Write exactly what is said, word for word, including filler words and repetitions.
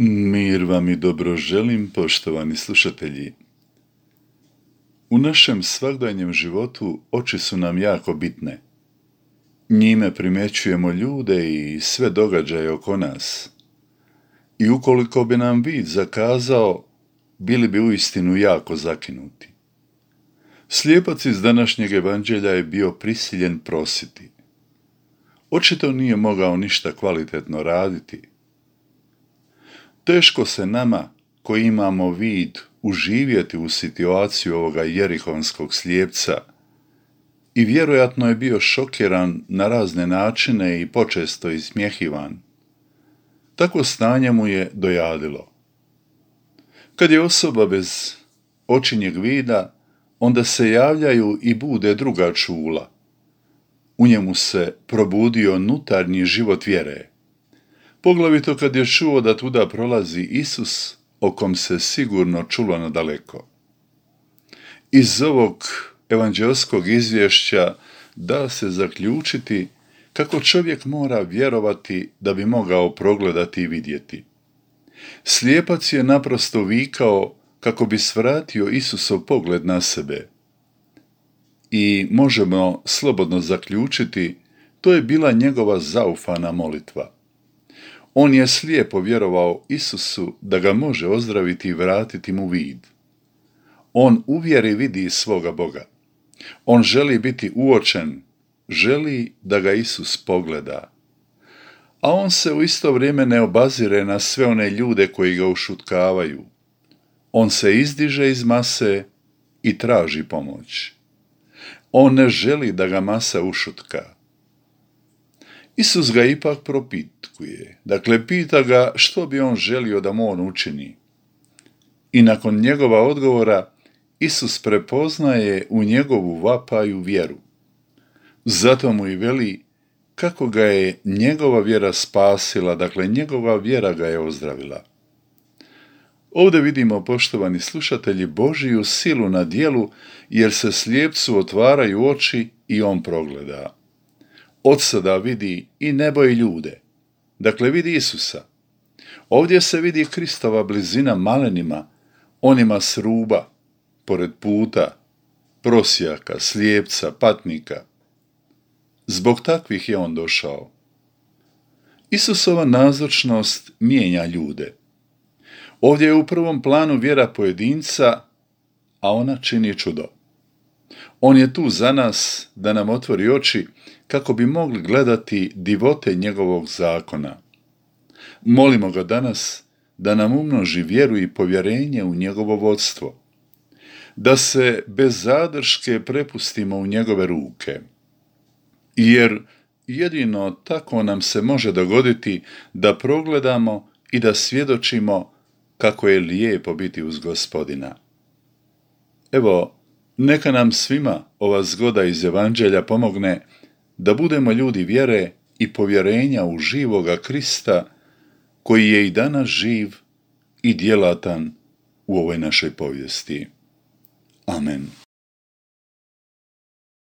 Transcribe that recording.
Mir vam i dobro želim, poštovani slušatelji. U našem svakdanjem životu oči su nam jako bitne. Njime primjećujemo ljude i sve događaje oko nas. I ukoliko bi nam vid zakazao, bili bi uistinu jako zakinuti. Slijepac iz današnjeg evanđelja je bio prisiljen prositi. Očito nije mogao ništa kvalitetno raditi. Teško se nama, koji imamo vid, uživjeti u situaciju ovoga jerihonskog slijepca i vjerojatno je bio šokiran na razne načine i počesto ismjehivan. Takvo stanje mu je dojadilo. Kad je osoba bez očinjeg vida, onda se javljaju i bude druga čula. U njemu se probudio unutarnji život vjere. Poglavito kad je čuo da tuda prolazi Isus, o kom se sigurno čulo nadaleko. Iz ovog evanđelskog izvješća da se zaključiti kako čovjek mora vjerovati da bi mogao progledati i vidjeti. Slijepac je naprosto vikao kako bi svratio Isusov pogled na sebe. I možemo slobodno zaključiti, to je bila njegova zaufana molitva. On je slijepo vjerovao Isusu da ga može ozdraviti i vratiti mu vid. On u vjeri vidi svoga Boga. On želi biti uočen, želi da ga Isus pogleda. A on se u isto vrijeme ne obazire na sve one ljude koji ga ušutkavaju. On se izdiže iz mase i traži pomoć. On ne želi da ga masa ušutka. Isus ga ipak propitkuje, dakle pita ga što bi on želio da mu on učini. I nakon njegova odgovora, Isus prepoznaje u njegovu vapaju vjeru. Zato mu i veli kako ga je njegova vjera spasila, dakle njegova vjera ga je ozdravila. Ovdje vidimo, poštovani slušatelji, Božiju silu na djelu, jer se slijepcu otvaraju oči i on progleda. Od sada vidi i nebo i ljude, dakle vidi Isusa. Ovdje se vidi Kristova blizina malenima, onima s ruba, pored puta, prosjaka, slijepca, patnika. Zbog takvih je on došao. Isusova nazočnost mijenja ljude. Ovdje je u prvom planu vjera pojedinca, a ona čini čudo. On je tu za nas da nam otvori oči kako bi mogli gledati divote njegovog zakona. Molimo ga danas da nam umnoži vjeru i povjerenje u njegovo vodstvo, da se bez zadrške prepustimo u njegove ruke, jer jedino tako nam se može dogoditi da progledamo i da svjedočimo kako je lijepo biti uz Gospodina. Evo, neka nam svima ova zgoda iz evanđelja pomogne da budemo ljudi vjere i povjerenja u živoga Krista, koji je i danas živ i djelatan u ovoj našoj povijesti. Amen.